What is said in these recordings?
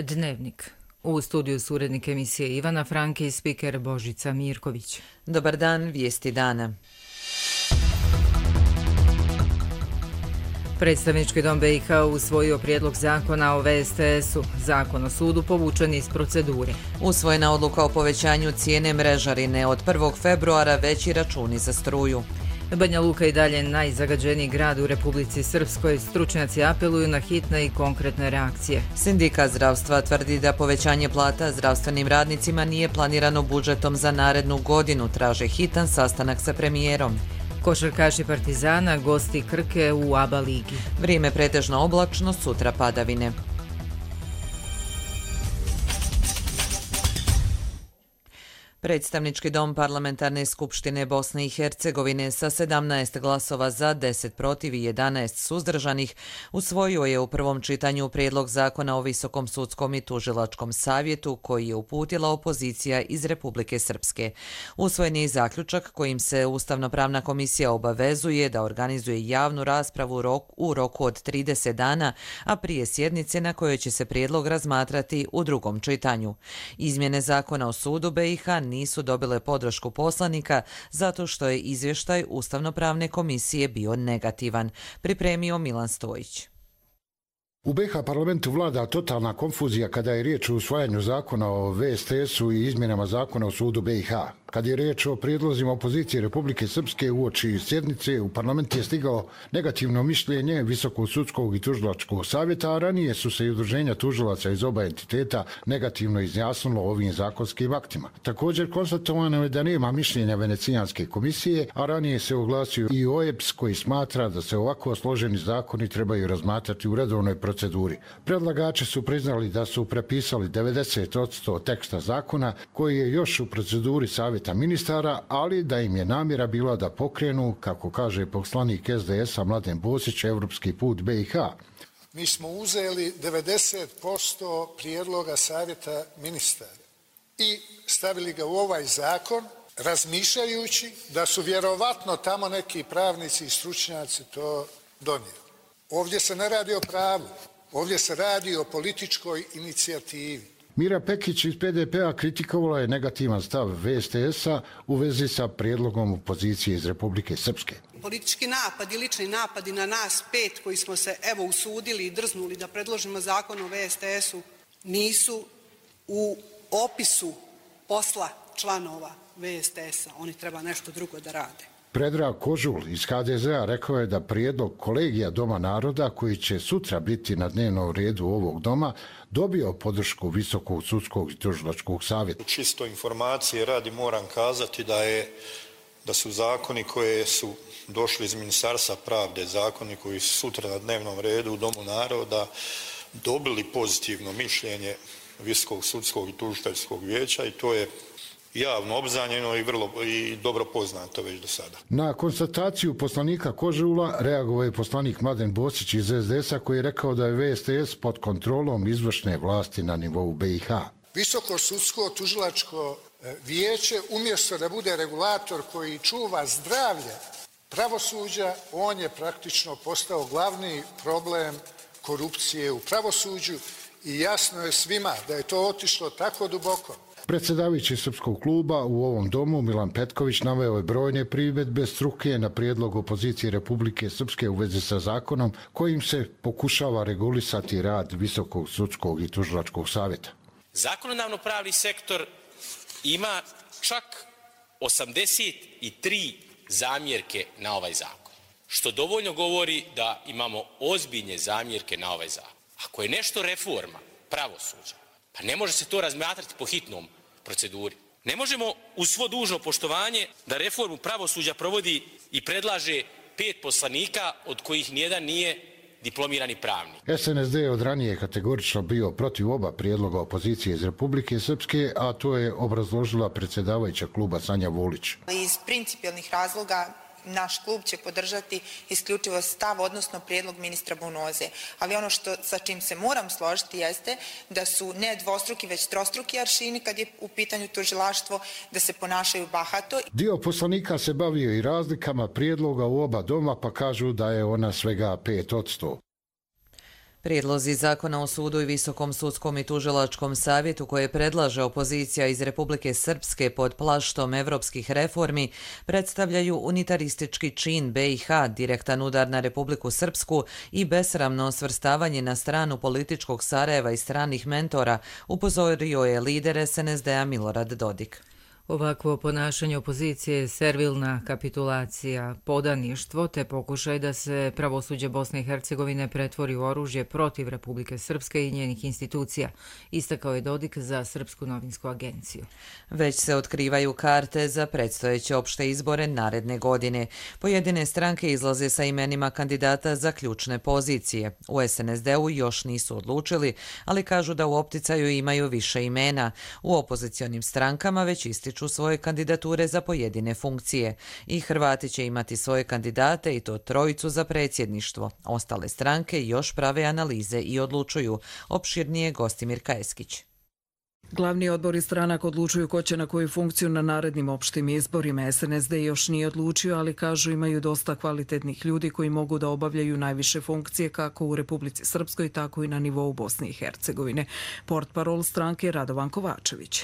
Dnevnik. U studiju su urednik emisije Ivana Franke i spiker Božica Mirković. Dobar dan, vijesti dana. Predstavnički dom BiH usvojio prijedlog zakona o VSTS-u. Zakon o sudu povučen iz procedure. Usvojena odluka o povećanju cijene mrežarine od 1. februara, veći računi za struju. Banja Luka i dalje najzagađeniji grad u Republici Srpskoj. Stručnjaci apeluju na hitne i konkretne reakcije. Sindikat zdravstva tvrdi da povećanje plata zdravstvenim radnicima nije planirano budžetom za narednu godinu. Traže hitan sastanak sa premijerom. Košarkaši Partizana gosti Krke u ABA ligi. Vrijeme pretežno oblačno, sutra padavine. Predstavnički dom Parlamentarne skupštine Bosne i Hercegovine sa 17 glasova za, 10 protiv i 11 suzdržanih usvojio je u prvom čitanju prijedlog zakona o Visokom sudskom i tužilačkom savjetu koji je uputila opozicija iz Republike Srpske. Usvojen je i zaključak kojim se Ustavno-pravna komisija obavezuje da organizuje javnu raspravu u roku od 30 dana, a prije sjednice na kojoj će se prijedlog razmatrati u drugom čitanju. Izmjene zakona o sudu BiH nisu dobile podršku poslanika zato što je izvještaj Ustavno-pravne komisije bio negativan, pripremio Milan Stojić. U BiH parlamentu vlada totalna konfuzija kada je riječ o usvajanju zakona o VSTS-u i izmjenama zakona o sudu BiH. Kad je riječ o prijedlozima opozicije Republike Srpske uoči sjednice, u parlament je stigao negativno mišljenje Visokog sudskog i tužilačkog savjeta, a ranije su se i udruženja tužilaca iz oba entiteta negativno izjasnilo ovim zakonskim aktima. Također konstatovano je da nema mišljenja Venecijanske komisije, a ranije se oglasio i OEBS koji smatra da se ovako složeni zakoni trebaju razmatrati u redovnoj proceduri. Predlagači su priznali da su prepisali 90% teksta zakona koji je još u proceduri savjeta ministara, ali da im je namjera bila da pokrenu, kako kaže poslanik SDS-a Mladen Bosić, evropski put BiH. Mi smo uzeli 90% prijedloga savjeta ministara i stavili ga u ovaj zakon, razmišljajući da su vjerovatno tamo neki pravnici i stručnjaci to donijeli. Ovdje se ne radi o pravu, ovdje se radi o političkoj inicijativi. Mira Pekić iz PDP-a kritikovala je negativan stav VSTS-a u vezi sa prijedlogom opozicije iz Republike Srpske. Politički napadi, lični napadi na nas 5 koji smo se usudili i drznuli da predložimo zakon o VSTS-u nisu u opisu posla članova VSTS-a. Oni treba nešto drugo da rade. Predrag Kožul iz HDZ-a rekao je da prijedlog kolegija Doma naroda, koji će sutra biti na dnevnom redu ovog doma, dobio podršku Visokog sudskog i tužilačkog savjeta. Čisto informacije radi moram kazati da su zakoni koje su došli iz Ministarstva pravde, zakoni koji su sutra na dnevnom redu u Domu naroda, dobili pozitivno mišljenje Visokog sudskog i tužiteljskog vijeća i to je javno obznanjeno i dobro poznato već do sada. Na konstataciju poslanika Kožula reagovao je poslanik Mladen Bosić iz SDS-a koji je rekao da je VSTS pod kontrolom izvršne vlasti na nivou BiH. Visoko sudsko tužilačko vijeće umjesto da bude regulator koji čuva zdravlje pravosuđa, on je praktično postao glavni problem korupcije u pravosuđu i jasno je svima da je to otišlo tako duboko. Predsjedavajući Srpskog kluba u ovom domu Milan Petković naveo je brojne primjedbe struke na prijedlog opozicije Republike Srpske u vezi sa zakonom kojim se pokušava regulisati rad Visokog sudskog i tužilačkog savjeta. Zakonodavno-pravni sektor ima čak 83 zamjerke na ovaj zakon, što dovoljno govori da imamo ozbiljne zamjerke na ovaj zakon. Ako je nešto reforma pravosuđa, pa ne može se to razmatrati po hitnom proceduri. Ne možemo uz svo dužno poštovanje da reformu pravosuđa provodi i predlaže 5 poslanika od kojih nijedan nije diplomirani pravnik. SNSD je od ranije kategorično bio protiv oba prijedloga opozicije iz Republike Srpske, a to je obrazložila predsjedavajuća kluba Sanja Vulić. Iz principijelnih razloga naš klub će podržati isključivo stav, odnosno prijedlog ministra Bunoze. Ali ono sa čim se moram složiti jeste da su ne dvostruki, već trostruki aršini kad je u pitanju tužilaštvo, da se ponašaju bahato. Dio poslanika se bavio i razlikama prijedloga u oba doma, pa kažu da je ona svega 5%. Prijedlozi zakona o sudu i Visokom sudskom i tužilačkom savjetu koje predlaže opozicija iz Republike Srpske pod plaštom evropskih reformi predstavljaju unitaristički čin BiH, direktan udar na Republiku Srpsku i besramno svrstavanje na stranu političkog Sarajeva i stranih mentora, upozorio je lider SNSD-a Milorad Dodik. Ovakvo ponašanje opozicije je servilna kapitulacija, podaništvo te pokušaj da se pravosuđe Bosne i Hercegovine pretvori u oružje protiv Republike Srpske i njenih institucija, istakao je Dodik za Srpsku novinsku agenciju. Već se otkrivaju karte za predstojeće opšte izbore naredne godine. Pojedine stranke izlaze sa imenima kandidata za ključne pozicije. U SNSD-u još nisu odlučili, ali kažu da u opticaju imaju više imena. U opozicionim strankama već ističu svoje kandidature za pojedine funkcije. I Hrvati će imati svoje kandidate i to trojicu za predsjedništvo. Ostale stranke još prave analize i odlučuju. Opširnije Gostimir Kajeskić. Glavni odbori stranaka odlučuju ko će na koju funkciju na narednim opštim izborima. SNSD još nije odlučio, ali kažu imaju dosta kvalitetnih ljudi koji mogu da obavljaju najviše funkcije kako u Republici Srpskoj, tako i na nivou Bosne i Hercegovine. Portparol stranke Radovan Kovačević.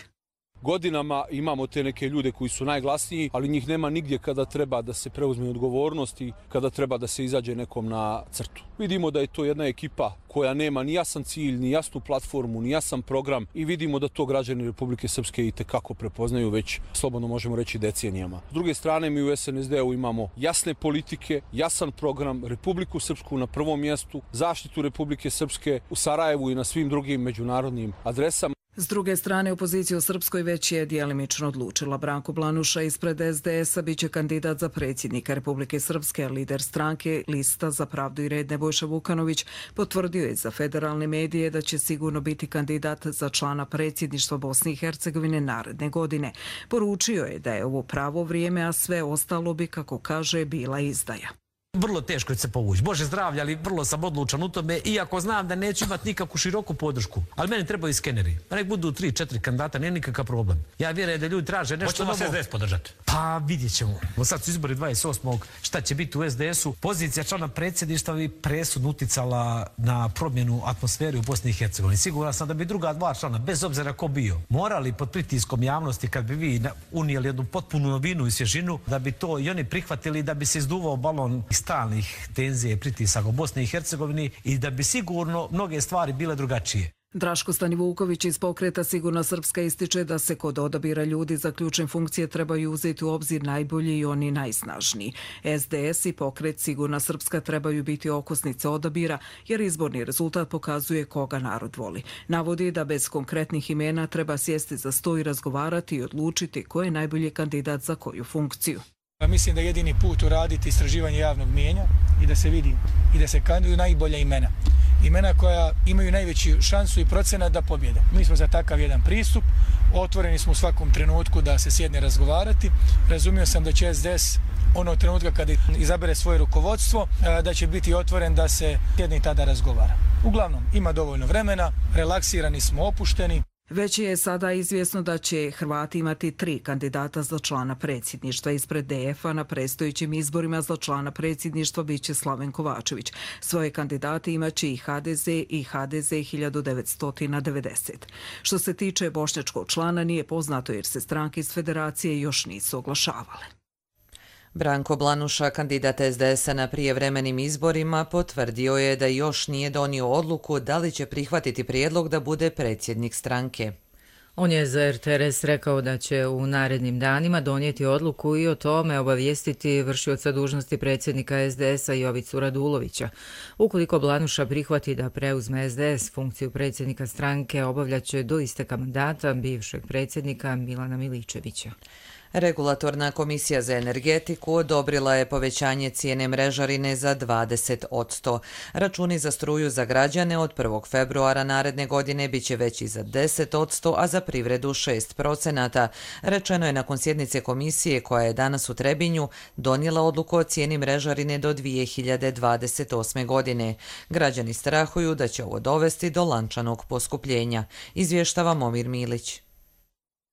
Godinama imamo te neke ljude koji su najglasniji, ali njih nema nigdje kada treba da se preuzme odgovornost i kada treba da se izađe nekom na crtu. Vidimo da je to jedna ekipa koja nema ni jasan cilj, ni jasnu platformu, ni jasan program i vidimo da to građani Republike Srpske i tekako prepoznaju već, slobodno možemo reći, decenijama. S druge strane, mi u SNSD-u imamo jasne politike, jasan program, Republiku Srpsku na prvom mjestu, zaštitu Republike Srpske u Sarajevu i na svim drugim međunarodnim adresama. S druge strane, opozicija u Srpskoj već je djelimično odlučila. Branko Blanuša ispred SDS-a biće kandidat za predsjednika Republike Srpske, a lider stranke Lista za pravdu i red Nebojša Vukanović potvrdio je za federalne medije da će sigurno biti kandidat za člana predsjedništva Bosne i Hercegovine naredne godine. Poručio je da je ovo pravo vrijeme, a sve ostalo bi, kako kaže, bila izdaja. Vrlo teško će se povući. Bože zdravlja, ali vrlo sam odlučan u tome, iako znam da neću imati nikakvu široku podršku. Ali meni trebaju skeneri. Nek budu 3-4 kandidata, nije nikakav problem. Ja vjerujem da ljudi traže nešto novo. Hoćemo SDS podržati? Pa vidjet ćemo. Sad su izbori 28. Šta će biti u SDS-u? Pozicija člana predsjedništva bi presudno uticala na promjenu atmosfere u Bosni i Hercegovini. Siguran sam da bi druga dva člana, bez obzira ko bio, morali pod pritiskom javnosti, kad bi vi unijeli jednu potpunu novinu i svježinu, da bi to i oni prihvatili, da bi se izduvao balon stalnih tenzija i pritisaka u Bosni i Hercegovini i da bi sigurno mnoge stvari bile drugačije. Draško Stanivuković iz pokreta Sigurna Srpska ističe da se kod odabira ljudi za ključne funkcije trebaju uzeti u obzir najbolji i oni najsnažniji. SDS i pokret Sigurna Srpska trebaju biti okosnice odabira, jer izborni rezultat pokazuje koga narod voli. Navodi da bez konkretnih imena treba sjesti za sto i razgovarati i odlučiti ko je najbolji kandidat za koju funkciju. Mislim da je jedini put uraditi istraživanje javnog mijenja i da se vidi i da se kandiduju najbolja imena. Imena koja imaju najveću šansu i procenat da pobjede. Mi smo za takav jedan pristup, otvoreni smo u svakom trenutku da se sjedne razgovarati. Razumio sam da će SDS onog trenutka kada izabere svoje rukovodstvo, da će biti otvoren da se sjedne i tada razgovara. Uglavnom, ima dovoljno vremena, relaksirani smo, opušteni. Već je sada izvjesno da će Hrvati imati 3 kandidata za člana predsjedništva. Ispred DF-a na predstojećim izborima za člana predsjedništva biće Slaven Kovačević. Svoje kandidate imaće i HDZ i HDZ 1990. Što se tiče bošnjačkog člana, nije poznato jer se stranke iz federacije još nisu oglašavale. Branko Blanuša, kandidat SDS-a na prijevremenim izborima, potvrdio je da još nije donio odluku da li će prihvatiti prijedlog da bude predsjednik stranke. On je za RTRS rekao da će u narednim danima donijeti odluku i o tome obavijestiti vršioca dužnosti predsjednika SDS-a Jovicu Radulovića. Ukoliko Blanuša prihvati da preuzme SDS funkciju predsjednika stranke, obavljaće do isteka mandata bivšeg predsjednika Milana Miličevića. Regulatorna komisija za energetiku odobrila je povećanje cijene mrežarine za 20%. Računi za struju za građane od 1. februara naredne godine biće veći za 10%, a za privredu 6%. Rečeno je nakon sjednice komisije koja je danas u Trebinju donijela odluku o cijeni mrežarine do 2028. godine. Građani strahuju da će ovo dovesti do lančanog poskupljenja, izvještava Momir Milić.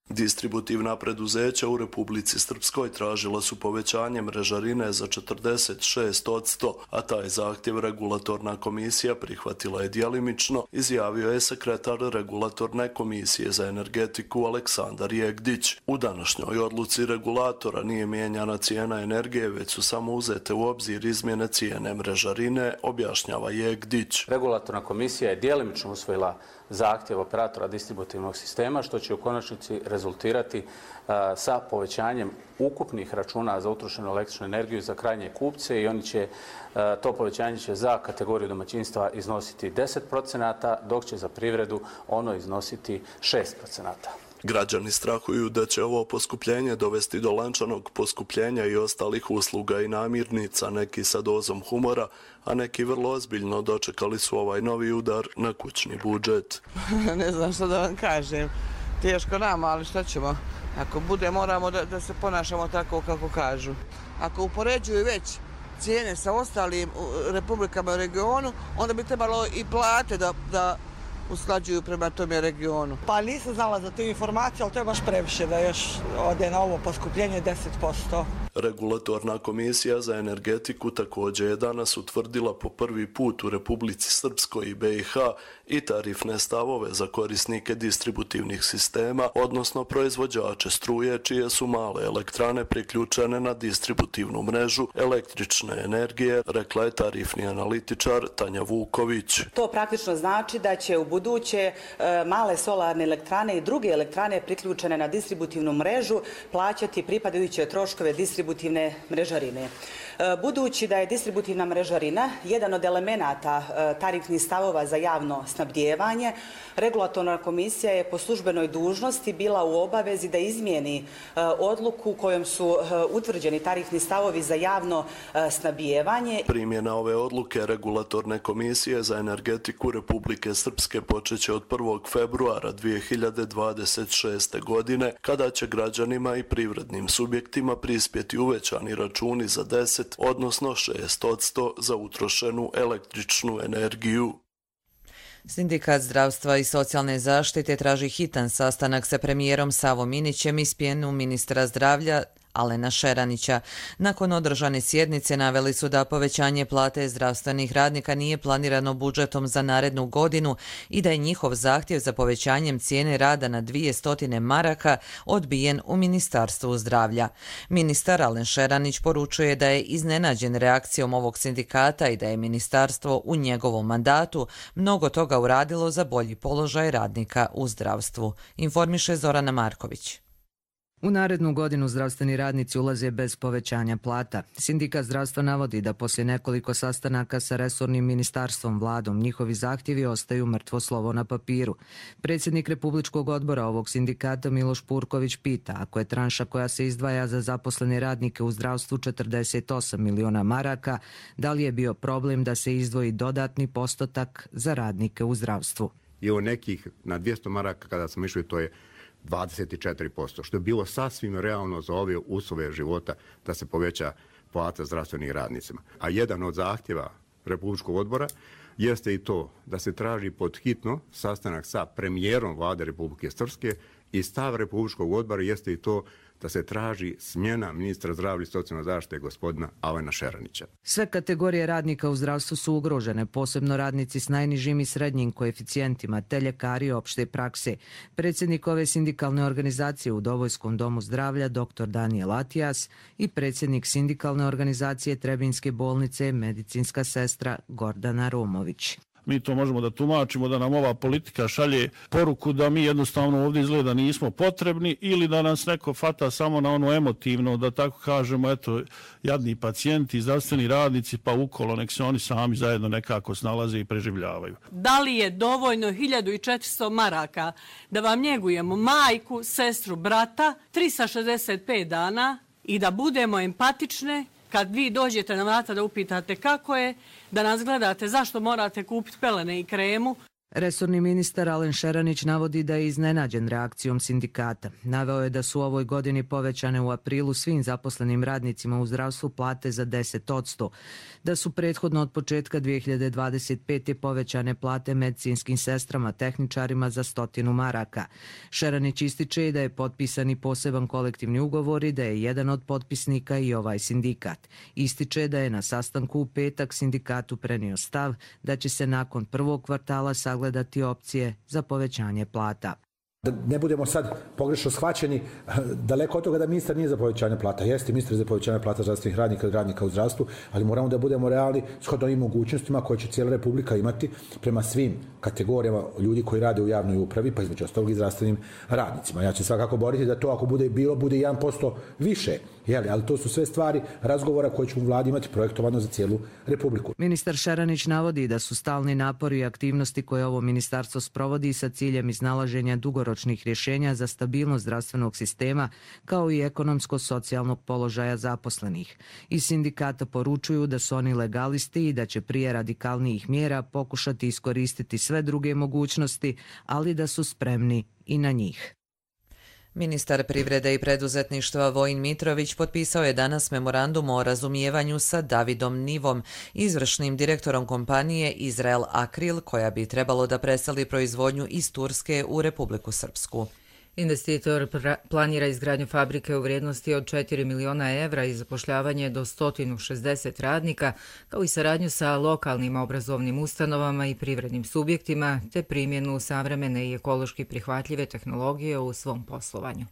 Distributivna preduzeća u Republici Srpskoj tražila su povećanje mrežarine za 46%, a taj zahtjev regulatorna komisija prihvatila je djelimično, izjavio je sekretar regulatorne komisije za energetiku Aleksandar Jegdić. U današnjoj odluci regulatora nije mijenjana cijena energije, već su samo uzete u obzir izmjene cijene mrežarine, objašnjava Jegdić. Regulatorna komisija je djelimično usvojila zahtjev operatora distributivnog sistema, što će u konačnici rezultirati sa povećanjem ukupnih računa za utrošenu električnu energiju za krajnje kupce i to povećanje će za kategoriju domaćinstva iznositi 10%, dok će za privredu ono iznositi 6%. Građani strahuju da će ovo poskupljenje dovesti do lančanog poskupljenja i ostalih usluga i namirnica, neki sa dozom humora, a neki vrlo ozbiljno dočekali su ovaj novi udar na kućni budžet. Ne znam što da vam kažem. Teško nama, ali šta ćemo? Ako bude, moramo da se ponašamo tako kako kažu. Ako upoređuju već cijene sa ostalim republikama u regionu, onda bi trebalo i plate da usklađuju prema tome regionu. Pa nisam znala za tu informaciju, ali to je baš previše da još ode na ovo poskupljenje 10%. Regulatorna komisija za energetiku također je danas utvrdila po prvi put u Republici Srpskoj i BiH i tarifne stavove za korisnike distributivnih sistema, odnosno proizvođače struje čije su male elektrane priključene na distributivnu mrežu električne energije, rekla je tarifni analitičar Tanja Vuković. To praktično znači da će u buduće male solarne elektrane i druge elektrane priključene na distributivnu mrežu plaćati pripadajuće troškove distributivne mrežarine. Budući da je distributivna mrežarina jedan od elemenata tarifnih stavova za javno snabdijevanje, regulatorna komisija je po službenoj dužnosti bila u obavezi da izmijeni odluku kojom su utvrđeni tarifni stavovi za javno snabdijevanje. Primjena ove odluke regulatorne komisije za energetiku Republike Srpske počeće od 1. februara 2026. godine, kada će građanima i privrednim subjektima prispjeti uvećani računi za 10, odnosno 6% za utrošenu električnu energiju. Sindikat zdravstva i socijalne zaštite traži hitan sastanak sa premijerom Savom Minićem i smjenu ministra zdravlja Alena Šeranića. Nakon održane sjednice naveli su da povećanje plate zdravstvenih radnika nije planirano budžetom za narednu godinu i da je njihov zahtjev za povećanjem cijene rada na 200 maraka odbijen u Ministarstvu zdravlja. Ministar Alen Šeranić poručuje da je iznenađen reakcijom ovog sindikata i da je ministarstvo u njegovom mandatu mnogo toga uradilo za bolji položaj radnika u zdravstvu, informiše Zorana Marković. U narednu godinu zdravstveni radnici ulaze bez povećanja plata. Sindikat zdravstva navodi da poslije nekoliko sastanaka sa resornim ministarstvom, vladom, njihovi zahtjevi ostaju mrtvo slovo na papiru. Predsjednik Republičkog odbora ovog sindikata Miloš Purković pita ako je tranša koja se izdvaja za zaposlene radnike u zdravstvu 48 miliona maraka, da li je bio problem da se izdvoji dodatni postotak za radnike u zdravstvu. I o nekih na 200 maraka kada smo išli, to je 24%, što je bilo sasvim realno za ove uslove života da se poveća plata zdravstvenim radnicima. A jedan od zahtjeva Republičkog odbora jeste i to da se traži pod hitno sastanak sa premijerom vlade Republike Srpske i stav Republičkog odbora jeste i to da se traži smjena ministra zdravlja i socijalne zaštite gospodina Alena Šeranića. Sve kategorije radnika u zdravstvu su ugrožene, posebno radnici s najnižim i srednjim koeficijentima, te ljekari opšte prakse. Predsjednik ove sindikalne organizacije u Dobojskom domu zdravlja dr. Daniel Atijas i predsjednik sindikalne organizacije Trebinjske bolnice medicinska sestra Gordana Romović. Mi to možemo da tumačimo da nam ova politika šalje poruku da mi jednostavno ovdje izgleda nismo potrebni ili da nas neko fata samo na ono emotivno, da tako kažemo, eto, jadni pacijenti, zdravstveni radnici, pa ukolo nek se oni sami zajedno nekako snalaze i preživljavaju. Da li je dovoljno 1400 maraka da vam njegujemo majku, sestru, brata 365 dana i da budemo empatične? Kad vi dođete na vrata da upitate kako je, da nas gledate zašto morate kupiti pelene i kremu. Resorni ministar Alen Šeranić navodi da je iznenađen reakcijom sindikata. Naveo je da su u ovoj godini povećane u aprilu svim zaposlenim radnicima u zdravstvu plate za 10%, da su prethodno od početka 2025. povećane plate medicinskim sestrama, tehničarima za 100 maraka. Šeranić ističe da je potpisan i poseban kolektivni ugovor i da je jedan od potpisnika i ovaj sindikat. Ističe da je na sastanku u petak sindikatu prenio stav da će se nakon prvog kvartala sagledati opcije za povećanje plata. Da ne budemo sad pogrešno shvaćeni, daleko od toga da ministar nije za povećanje plata. Jeste ministar za povećanje plata zdravstvenih radnika i radnika u zdravstvu, ali moramo da budemo realni shodno ovim mogućnostima koje će cijela Republika imati prema svim kategorijama ljudi koji rade u javnoj upravi, pa između ostalog i zdravstvenim radnicima. Ja ću svakako boriti da to ako bude bilo, bude 1% više. Ali to su sve stvari razgovora koje ćemo u vladi imati projektovano za cijelu Republiku. Ministar Šeranić navodi da su stalni napori i aktivnosti koje ovo ministarstvo sprovodi sa ciljem iznalaženja dugoročnih rješenja za stabilnost zdravstvenog sistema kao i ekonomsko-socijalnog položaja zaposlenih. Iz sindikata poručuju da su oni legalisti i da će prije radikalnijih mjera pokušati iskoristiti sve druge mogućnosti, ali da su spremni i na njih. Ministar privrede i preduzetništva Vojin Mitrović potpisao je danas memorandum o razumijevanju sa Davidom Nivom, izvršnim direktorom kompanije Izrael Akril, koja bi trebalo da preseli proizvodnju iz Turske u Republiku Srpsku. Investitor planira izgradnju fabrike u vrijednosti od 4 miliona evra i zapošljavanje do 160 radnika, kao i saradnju sa lokalnim obrazovnim ustanovama i privrednim subjektima, te primjenu savremene i ekološki prihvatljive tehnologije u svom poslovanju.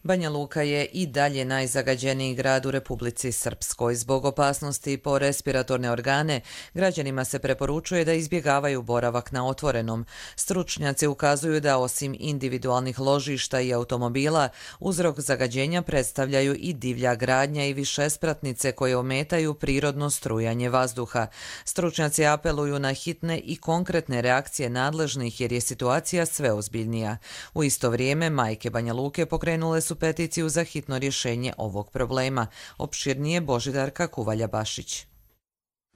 Banja Luka je i dalje najzagađeniji grad u Republici Srpskoj. Zbog opasnosti po respiratorne organe, građanima se preporučuje da izbjegavaju boravak na otvorenom. Stručnjaci ukazuju da osim individualnih ložišta i automobila, uzrok zagađenja predstavljaju i divlja gradnja i višespratnice koje ometaju prirodno strujanje vazduha. Stručnjaci apeluju na hitne i konkretne reakcije nadležnih jer je situacija sve ozbiljnija. U isto vrijeme, majke Banja Luke pokrenule su peticiju za hitno rješenje ovog problema. Opširnije Božidarka Kuvalja-Bašić.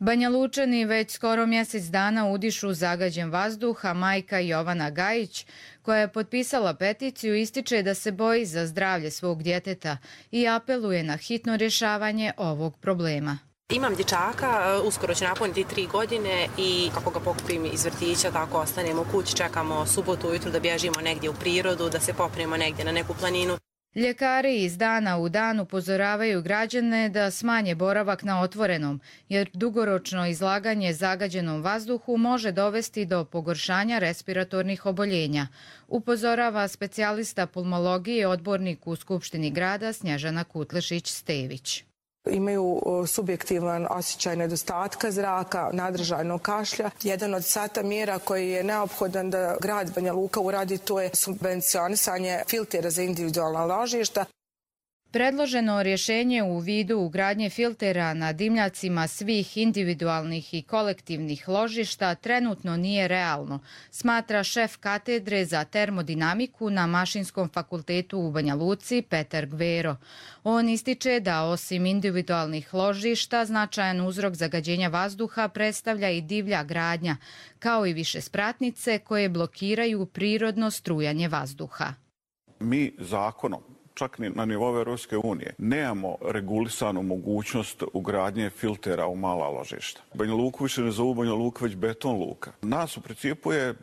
Banja Lučani već skoro mjesec dana udišu zagađen vazduh, a majka Jovana Gajić, koja je potpisala peticiju, ističe da se boji za zdravlje svog djeteta i apeluje na hitno rješavanje ovog problema. Imam dječaka, uskoro će napuniti 3 godine i kako ga pokupim iz vrtića, tako ostanemo u kući, čekamo subotu ujutru da bježimo negdje u prirodu, da se popnemo negdje na neku planinu. Ljekari iz dana u dan upozoravaju građane da smanje boravak na otvorenom, jer dugoročno izlaganje zagađenom vazduhu može dovesti do pogoršanja respiratornih oboljenja, upozorava specijalista pulmologije i odbornik u Skupštini grada Snježana Kutlešić-Stević. Imaju subjektivan osjećaj nedostatka zraka, nadržajnog kašlja. Jedan od sata mjera koji je neophodan da grad Banja Luka uradi, to je subvencionisanje filtera za individualna ložišta. Predloženo rješenje u vidu ugradnje filtera na dimljacima svih individualnih i kolektivnih ložišta trenutno nije realno, smatra šef katedre za termodinamiku na Mašinskom fakultetu u Banja Luci Petar Gvero. On ističe da osim individualnih ložišta značajan uzrok zagađenja vazduha predstavlja i divlja gradnja, kao i višespratnice koje blokiraju prirodno strujanje vazduha. Mi zakonom, čak na nivou Europske unije, nemamo regulisanu mogućnost ugradnje filtera u mala ložišta. Banja Luku više ne zovu Banja Luka, već beton luka. Nas u principu je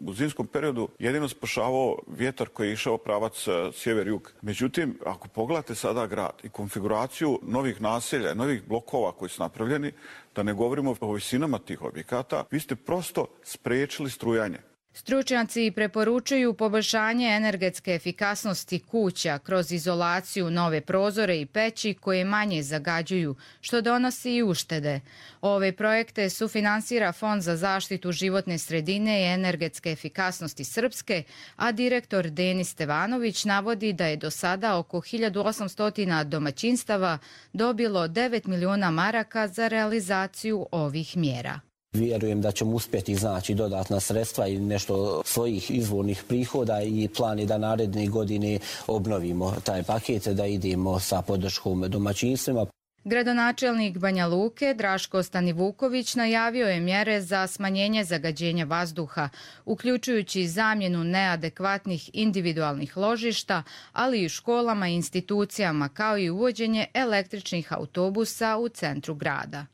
u zimskom periodu jedino spašavao vjetar koji je išao pravac sjever-jug. Međutim, ako pogledate sada grad i konfiguraciju novih naselja, novih blokova koji su napravljeni, da ne govorimo o visinama tih objekata, vi ste prosto spriječili strujanje. Stručnjaci preporučuju poboljšanje energetske efikasnosti kuća kroz izolaciju, nove prozore i peći koje manje zagađuju, što donosi i uštede. Ove projekte sufinansira Fond za zaštitu životne sredine i energetske efikasnosti Srpske, a direktor Denis Stevanović navodi da je do sada oko 1800 domaćinstava dobilo 9 miliona maraka za realizaciju ovih mjera. Vjerujem da ćemo uspjeti iznaći dodatna sredstva i nešto svojih izvornih prihoda i plan je da naredne godine obnovimo taj paket, da idemo sa podrškom domaćinstvima. Gradonačelnik Banja Luke Draško Stanivuković najavio je mjere za smanjenje zagađenja vazduha, uključujući zamjenu neadekvatnih individualnih ložišta, ali i školama i institucijama, kao i uvođenje električnih autobusa u centru grada.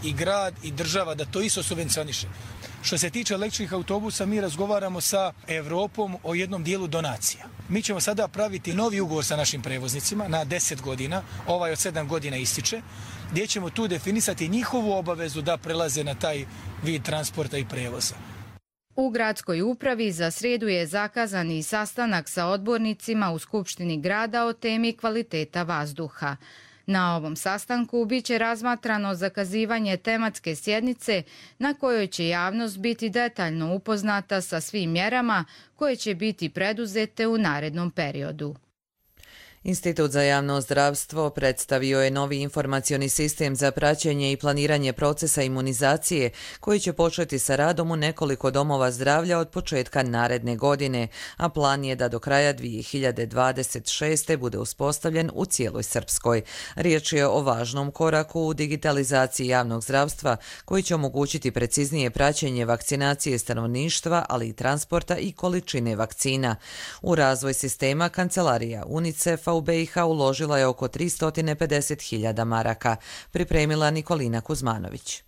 I grad i država da to isto subvencioniše. Što se tiče električnih autobusa, mi razgovaramo sa Evropom o jednom dijelu donacija. Mi ćemo sada praviti novi ugovor sa našim prevoznicima na 10 godina, ovaj od 7 godina ističe, gdje ćemo tu definisati njihovu obavezu da prelaze na taj vid transporta i prevoza. U gradskoj upravi za srijedu je zakazan i sastanak sa odbornicima u Skupštini grada o temi kvaliteta vazduha. Na ovom sastanku biće razmatrano zakazivanje tematske sjednice na kojoj će javnost biti detaljno upoznata sa svim mjerama koje će biti preduzete u narednom periodu. Institut za javno zdravstvo predstavio je novi informacioni sistem za praćenje i planiranje procesa imunizacije koji će početi sa radom u nekoliko domova zdravlja od početka naredne godine, a plan je da do kraja 2026. bude uspostavljen u cijeloj Srpskoj. Riječ je o važnom koraku u digitalizaciji javnog zdravstva koji će omogućiti preciznije praćenje vakcinacije stanovništva, ali i transporta i količine vakcina. U razvoj sistema kancelarija UNICEF-a u BiH uložila je oko 350.000 maraka, pripremila Nikolina Kuzmanović.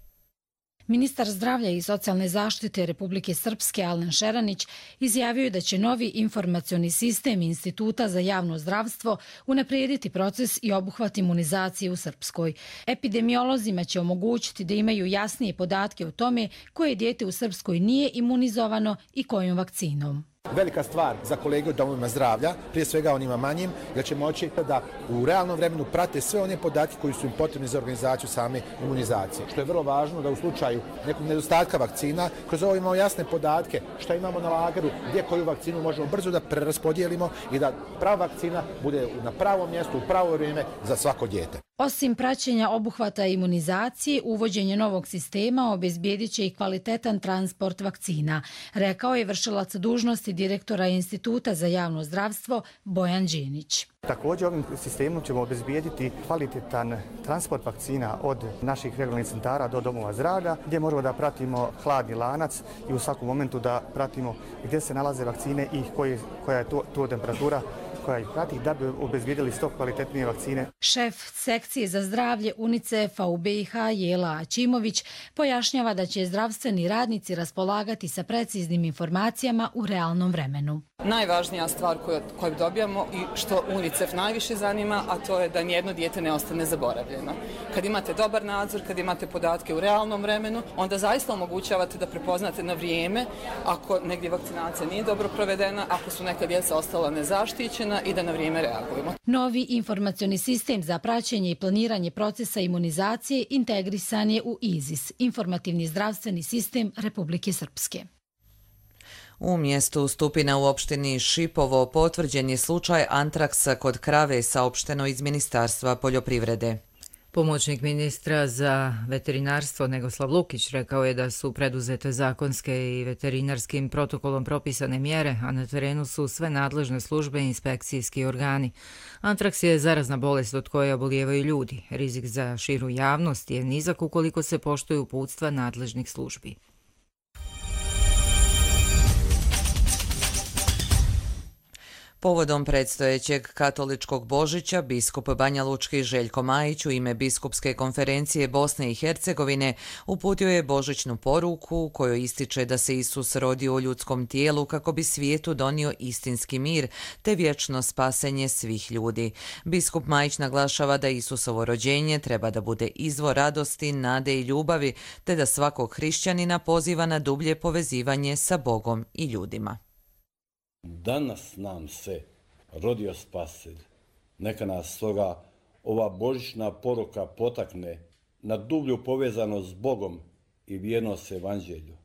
Ministar zdravlja i socijalne zaštite Republike Srpske Alen Šeranić izjavio je da će novi informacioni sistem Instituta za javno zdravstvo unaprijediti proces i obuhvat imunizacije u Srpskoj. Epidemiolozima će omogućiti da imaju jasnije podatke o tome koje dijete u Srpskoj nije imunizovano i kojom vakcinom. Velika stvar za kolege u domovima zdravlja, prije svega onima manjim, da će moći da u realnom vremenu prate sve one podatke koji su im potrebni za organizaciju same imunizacije. Što je vrlo važno da u slučaju nekog nedostatka vakcina, kroz ovo imamo jasne podatke šta imamo na lageru, gdje koju vakcinu možemo brzo da preraspodijelimo i da prava vakcina bude na pravom mjestu, u pravo vrijeme za svako dijete. Osim praćenja obuhvata imunizacije, uvođenje novog sistema obezbijedit će i kvalitetan transport vakcina, rekao je vršilac dužnosti direktora Instituta za javno zdravstvo Bojan Đenić. Također ovim sistemom ćemo obezbijediti kvalitetan transport vakcina od naših regionalnih centara do domova zdravlja, gdje možemo da pratimo hladni lanac i u svakom momentu da pratimo gdje se nalaze vakcine i koja je to temperatura koja ih prati da bi obezbijedili što kvalitetnije vakcine. Šef sekcije za zdravlje UNICEF-a u BiH Jela Aćimović pojašnjava da će zdravstveni radnici raspolagati sa preciznim informacijama u realnom vremenu. Najvažnija stvar koju dobijamo i što UNICEF najviše zanima, a to je da nijedno dijete ne ostane zaboravljeno. Kad imate dobar nadzor, kad imate podatke u realnom vremenu, onda zaista omogućavate da prepoznate na vrijeme ako negdje vakcinacija nije dobro provedena, ako su neka djeca ostala nezaštićena i da na vrijeme reagujemo. Novi informacioni sistem za praćenje i planiranje procesa imunizacije integrisan je u IZIS, informativni zdravstveni sistem Republike Srpske. U mjestu Stupina u opštini Šipovo potvrđen je slučaj antraksa kod krave, saopšteno iz Ministarstva poljoprivrede. Pomoćnik ministra za veterinarstvo Negoslav Lukić rekao je da su preduzete zakonske i veterinarskim protokolom propisane mjere, a na terenu su sve nadležne službe i inspekcijski organi. Antraks je zarazna bolest od koje obolijevaju ljudi. Rizik za širu javnost je nizak ukoliko se poštuju uputstva nadležnih službi. Povodom predstojećeg katoličkog Božića, biskup Banjalučki Željko Majić u ime Biskupske konferencije Bosne i Hercegovine uputio je božićnu poruku kojoj ističe da se Isus rodio u ljudskom tijelu kako bi svijetu donio istinski mir te vječno spasenje svih ljudi. Biskup Majić naglašava da Isusovo rođenje treba da bude izvor radosti, nade i ljubavi te da svakog hrišćanina poziva na dublje povezivanje sa Bogom i ljudima. Danas nam se rodio Spasitelj. Neka nas stoga ova božićna poruka potakne na dublju povezanost s Bogom i vjernost evanđelju.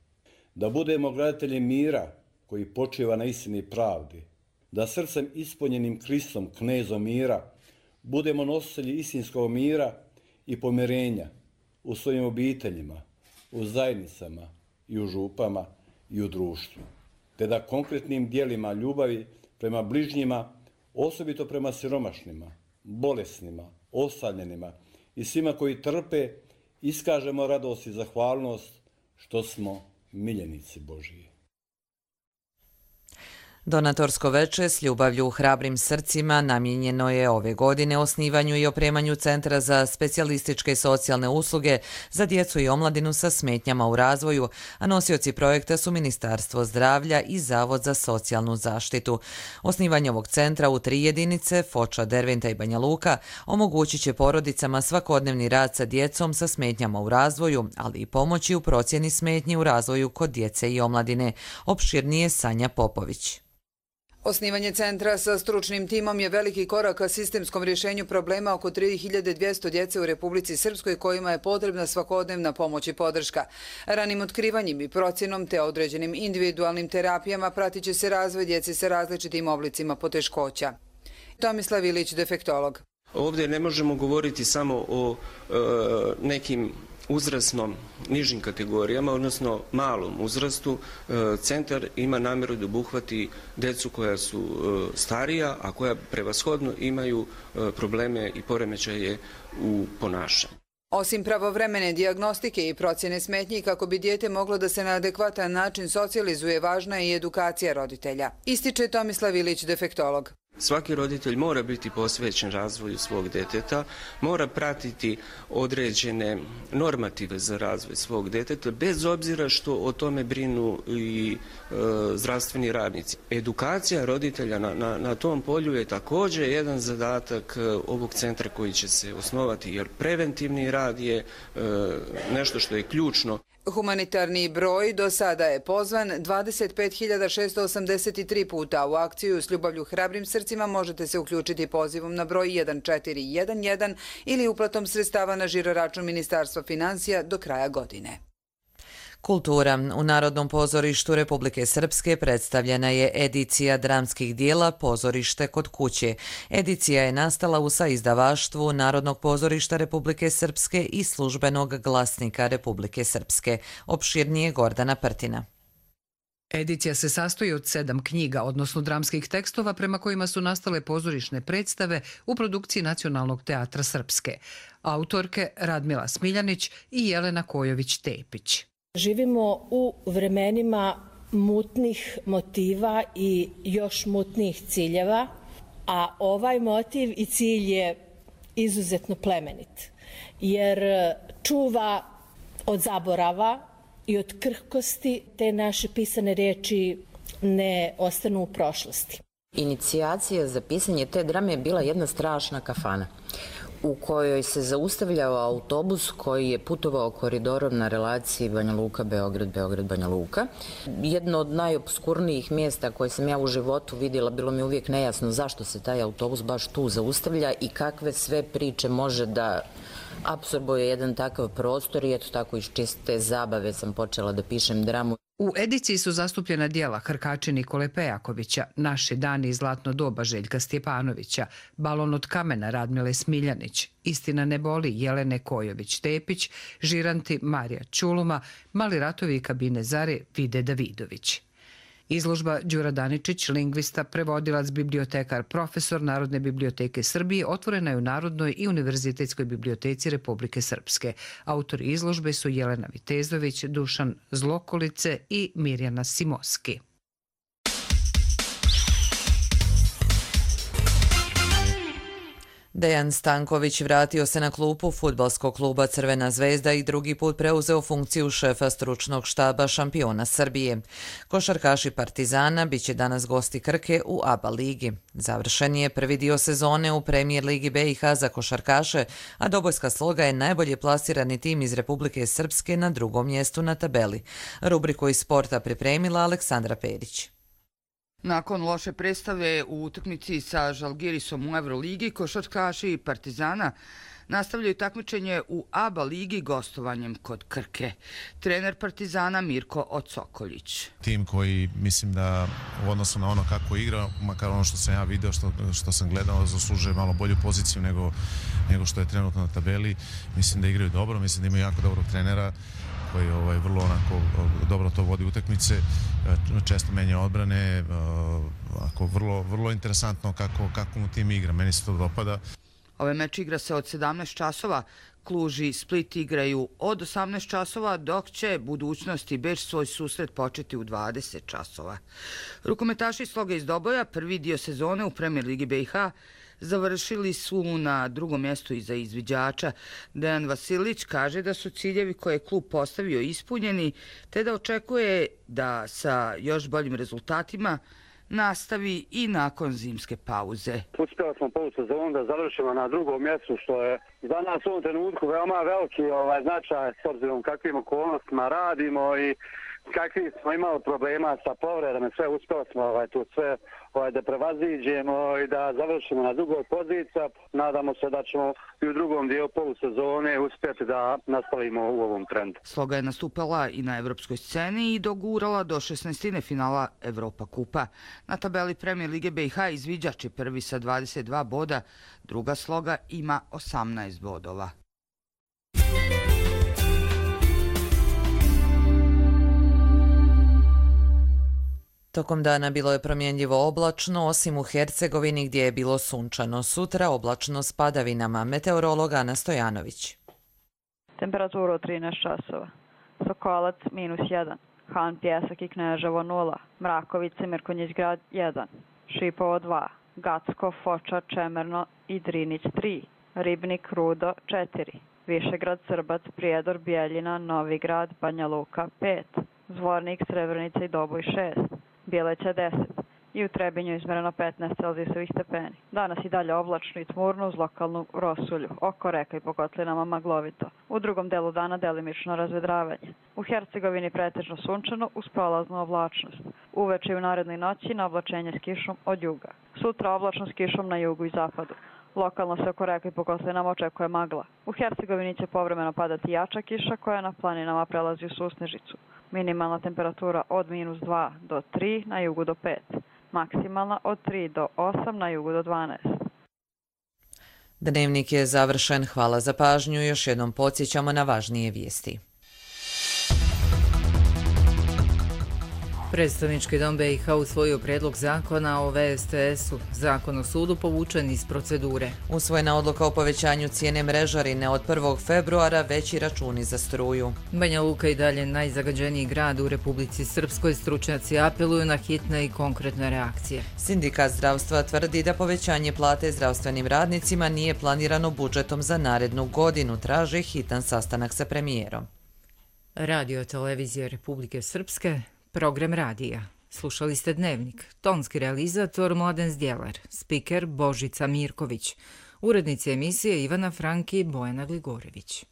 Da budemo graditelji mira koji počiva na istini pravdi. Da srcem ispunjenim Kristom, knezom mira, budemo nositelji istinskog mira i pomirenja u svojim obiteljima, u zajednicama i u župama i u društvu. Te da konkretnim dijelima ljubavi prema bližnjima, osobito prema siromašnima, bolesnima, ostavljenima i svima koji trpe iskažemo radost i zahvalnost što smo miljenici Božiji. Donatorsko veče s ljubavlju u hrabrim srcima namijenjeno je ove godine osnivanju i opremanju Centra za specijalističke socijalne usluge za djecu i omladinu sa smetnjama u razvoju, a nosioci projekta su Ministarstvo zdravlja i Zavod za socijalnu zaštitu. Osnivanje ovog centra u 3 jedinice, Foča, Derventa i Banja Luka, omogućit će porodicama svakodnevni rad sa djecom sa smetnjama u razvoju, ali i pomoći u procjeni smetnji u razvoju kod djece i omladine. Opširnije Sanja Popović. Osnivanje centra sa stručnim timom je veliki korak ka sistemskom rješenju problema oko 3200 djece u Republici Srpskoj kojima je potrebna svakodnevna pomoć i podrška. Ranim otkrivanjem i procjenom te određenim individualnim terapijama pratit će se razvoj djece sa različitim oblicima poteškoća. Tomislav Ilić, defektolog. Ovdje ne možemo govoriti samo o nekim uzrasnom nižim kategorijama, odnosno malom uzrastu. Centar ima namjeru da obuhvati djecu koja su starija, a koja prevashodno imaju probleme i poremećaje u ponašanju. Osim pravovremene dijagnostike i procjene smetnji kako bi dijete moglo da se na adekvatan način socijalizuje, važna je i edukacija roditelja. Ističe Tomislav Ilić, defektolog. Svaki roditelj mora biti posvećen razvoju svog djeteta, mora pratiti određene normative za razvoj svog djeteta, bez obzira što o tome brinu i zdravstveni radnici. Edukacija roditelja na tom polju je također jedan zadatak ovog centra koji će se osnovati, jer preventivni rad je nešto što je ključno. Humanitarni broj do sada je pozvan 25.683 puta. U akciju s ljubavlju hrabrim srcima možete se uključiti pozivom na broj 1411 ili uplatom sredstava na žiroračun Ministarstva financija do kraja godine. Kultura. U Narodnom pozorištu Republike Srpske predstavljena je edicija dramskih dijela Pozorište kod kuće. Edicija je nastala u saizdavaštvu Narodnog pozorišta Republike Srpske i Službenog glasnika Republike Srpske. Opširnije Gordana Prtina. Edicija se sastoji od 7 knjiga, odnosno dramskih tekstova prema kojima su nastale pozorišne predstave u produkciji Nacionalnog teatra Srpske. Autorke Radmila Smiljanić i Jelena Kojović-Tepić. Živimo u vremenima mutnih motiva i još mutnijih ciljeva, a ovaj motiv i cilj je izuzetno plemenit, jer čuva od zaborava i od krhkosti te naše pisane riječi ne ostanu u prošlosti. Inicijacija za pisanje te drame je bila jedna strašna kafana u kojoj se zaustavljao autobus koji je putovao koridorom na relaciji Banja Luka-Beograd, Beograd-Banja Luka. Jedno od najobskurnijih mjesta koje sam ja u životu vidjela, bilo mi uvijek nejasno zašto se taj autobus baš tu zaustavlja i kakve sve priče može da apsorbuje jedan takav prostor i eto tako iz čiste zabave sam počela da pišem dramu. U ediciji su zastupljena dijela Hrkači Nikole Pejakovića, Naši dani i zlatno doba Željka Stjepanovića, Balon od kamena Radmile Smiljanić, Istina ne boli Jelene Kojović-Tepić, Žiranti Marija Čuluma, Mali ratovi i kabine Zare Vide Davidović. Izložba Đura Daničić, lingvista, prevodilac, bibliotekar, profesor Narodne biblioteke Srbije, otvorena je u Narodnoj i Univerzitetskoj biblioteci Republike Srpske. Autori izložbe su Jelena Vitezović, Dušan Zlokolice i Mirjana Simoski. Dejan Stanković vratio se na klupu fudbalskog kluba Crvena zvezda i drugi put preuzeo funkciju šefa stručnog štaba šampiona Srbije. Košarkaši Partizana biće danas gosti Krke u ABA ligi. Završen je prvi dio sezone u Premijer ligi BiH za košarkaše, a Dobojska Sloga je najbolje plasirani tim iz Republike Srpske na drugom mjestu na tabeli. Rubriku iz sporta pripremila Aleksandra Perić. Nakon loše predstave u utakmici sa Žalgirisom u Euroligi, košarkaši Partizana nastavljaju takmičenje u ABA ligi gostovanjem kod Krke. Trener Partizana Mirko Ocokoljić. Tim koji mislim da u odnosu na ono kako igra, makar ono što sam ja video, što sam gledao, zaslužuje malo bolju poziciju nego što je trenutno na tabeli. Mislim da igraju dobro, mislim da imaju jako dobrog trenera koji vrlo onako dobro to vodi utakmice, često menja odbrane, vrlo interesantno kako mu tim igra, meni se to dopada. Ovaj meč igra se od 17 časova. Kluž i Split igraju od 18 časova, dok će Budućnost i Beč svoj susret početi u 20 časova. Rukometaši Sloga iz Doboja prvi dio sezone u Premier Ligi BiH završili su na drugom mjestu iza izviđača. Dejan Vasilić kaže da su ciljevi koje je klub postavio ispunjeni, te da očekuje da sa još boljim rezultatima nastavi i nakon zimske pauze. Uspjeli smo polusezonu da završimo na drugom mjestu, što je za nas u ovom trenutku veoma veliki značaj s obzirom kakvim okolnostima radimo i kakvi smo imali problema sa povredama. Sve uspjeli smo tu sve da prevaziđemo i da završimo na drugoj poziciji. Nadamo se da ćemo i u drugom dijelu polusezone uspjeti da nastavimo u ovom trendu. Sloga je nastupala i na evropskoj sceni i dogurala do 16. finala Evropa kupa. Na tabeli Premier Lige BiH izviđač je prvi sa 22 boda, druga Sloga ima 18 bodova. Tokom dana bilo je promjenljivo oblačno, osim u Hercegovini gdje je bilo sunčano. Sutra oblačno s padavinama. Meteorolog Ana Stojanović. Temperatura od 13 časova. Sokolac -1. Han, Pjesak i Kneževo 0. Mrakovice, Mirkonjić grad 1. Šipovo 2. Gacko, Foča, Čemerno i Drinić 3. Ribnik, Rudo 4. Višegrad, Srbac, Prijedor, Bijeljina, Novi grad, Banja Luka 5. Zvornik, Srebrenica i Doboj 6. Bjeleća 10 i u Trebinju izmereno 15 celzijusovih stepeni. Danas i dalje oblačno i tmurno uz lokalnu rosulju, oko reka i po kotlinama maglovito. U drugom delu dana delimično razvedravanje. U Hercegovini pretežno sunčano uz prolaznu oblačnost. Uveče i u narednoj noći na oblačenje s kišom od juga. Sutra oblačno s kišom na jugu i zapadu. Lokalno se oko reka i po kotlinama očekuje magla. U Hercegovini će povremeno padati jača kiša koja na planinama prelazi u susnežicu. Minimalna temperatura od -2 do 3, na jugu do 5. Maksimalna od 3 do 8, na jugu do 12. Dnevnik je završen. Hvala za pažnju. Još jednom podsjećamo na važnije vijesti. Predstavnički dom BiH usvojio predlog zakona o VSTS-u. Zakon o sudu povučen iz procedure. Usvojena odluka o povećanju cijene mrežarine od 1. februara, veći računi za struju. Banja Luka i dalje najzagađeniji grad u Republici Srpskoj. Stručnjaci apeluju na hitne i konkretne reakcije. Sindikat zdravstva tvrdi da povećanje plate zdravstvenim radnicima nije planirano budžetom za narednu godinu. Traže hitan sastanak sa premijerom. Radio televizije Republike Srpske. Program radija. Slušali ste Dnevnik. Tonski realizator Mladen Zdjelar. Spiker Božica Mirković. Urednici emisije Ivana Franki i Bojana Gligorević.